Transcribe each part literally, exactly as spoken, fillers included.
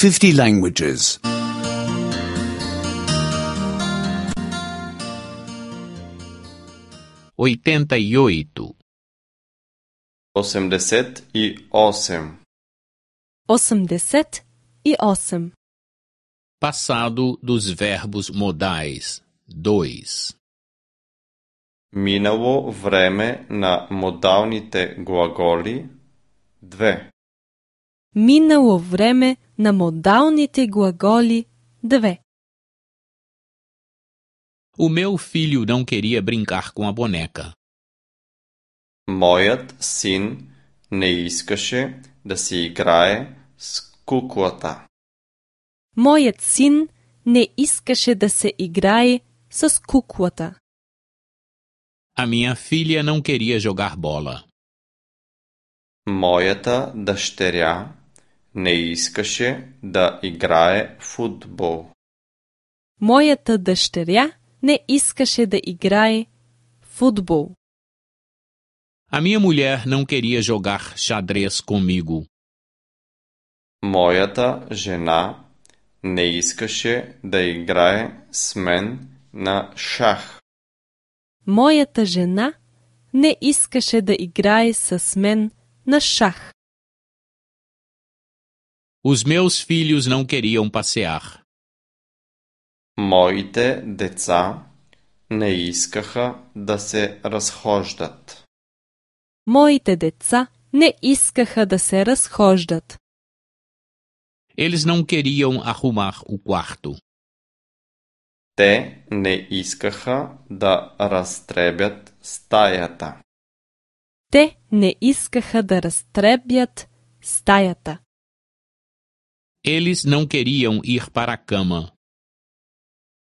fifty languages. oitenta e oito. Osemdeset и осем. Osemdeset e osem. Passado dos verbos modais. dois. Минало време на модалните глаголи. две. Минало време на модалните глаголи. две. O meu filho não queria brincar com a boneca. Мојот син не искаше да се играе с куклата. Мојот син не искаше да се играе с куклата. A minha filha não queria jogar bola. Мојата дъщеря не искаше да играе фудбал. Мојата дъщеря не искаше да играе фудбал. A minha mulher não queria jogar xadrez comigo. Мојата жена не искаше да играе с мен на шах. Мојата жена не искаше да играе с мен на шах. Os meus filhos não queriam passear. Моите деца не искаха да се разхождат. Моите деца не искаха да се разхождат. Eles não queriam arrumar o quarto. Те не искаха да разтребят стаята. Те не искаха да разтребят стаята. Eles não queriam ir para a cama.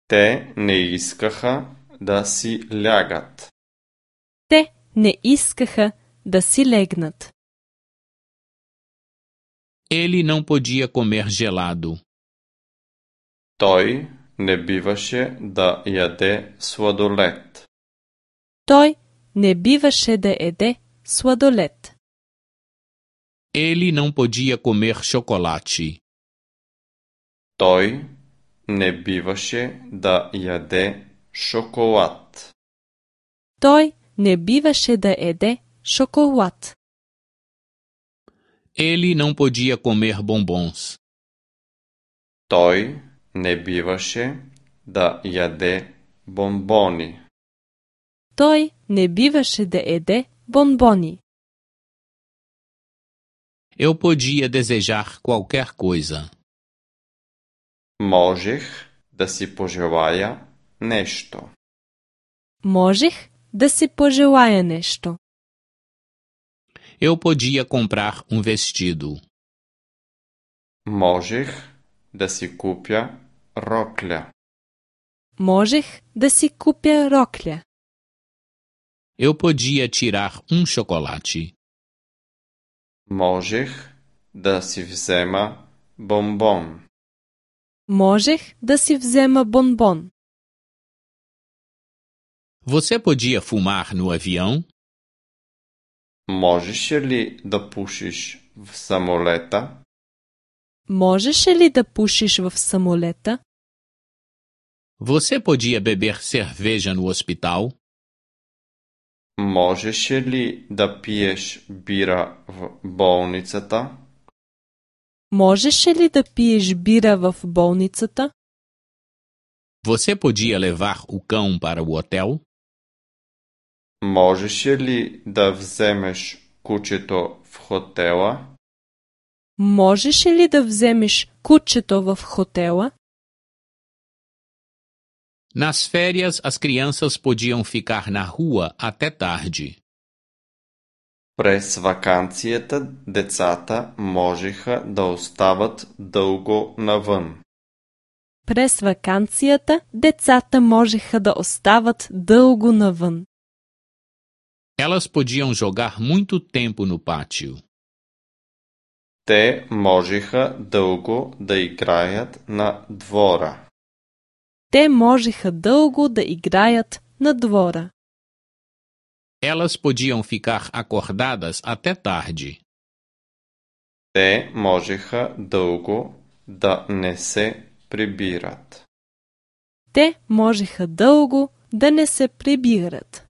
Те не искаха да си лягат. Те не искаха да си легнат. Ele não podia comer gelado. Той не биваше да яде сладолед. Той не биваше да еде сладолед. Ele não podia comer chocolate. Той не биваше да яде шоколад. Той не биваше да еде шоколад. Ele não podia comer bombons. Той не биваше да яде бомбони. Той не биваше да еде бонбони. Eu podia desejar qualquer coisa. Можех да си пожелая нещо. Можех да си пожелая нещо. Eu podia comprar um vestido. Можех да си купя рокля. Можех да си купя рокля. Eu podia tirar um chocolate. Можех да си взема бомбон. Можех да си взема бонбон. Você podia fumar no avião? Можеше ли да пушиш в самолета? Можеше ли да пушиш в самолета? Você podia beber cerveja no hospital? Можеше ли да пиеш бира в болницата? Можеше ли да пиеш бира в болницата? Você podia levar o cão para o hotel? Можеше ли да вземеш кучето в хотела? Можеше ли да вземеш кучето в хотела? Nas férias, as crianças podiam ficar na rua até tarde. През ваканцията децата можеха да остават дълго навън. През ваканцията децата можеха да остават дълго навън. Elas podiam jogar muito tempo no pátio. Те можеха дълго да играят на двора. Те можеха дълго да играят на двора. Elas podiam ficar acordadas até tarde. Те можеха дълго да не се прибират. Те можеха дълго да не се прибират.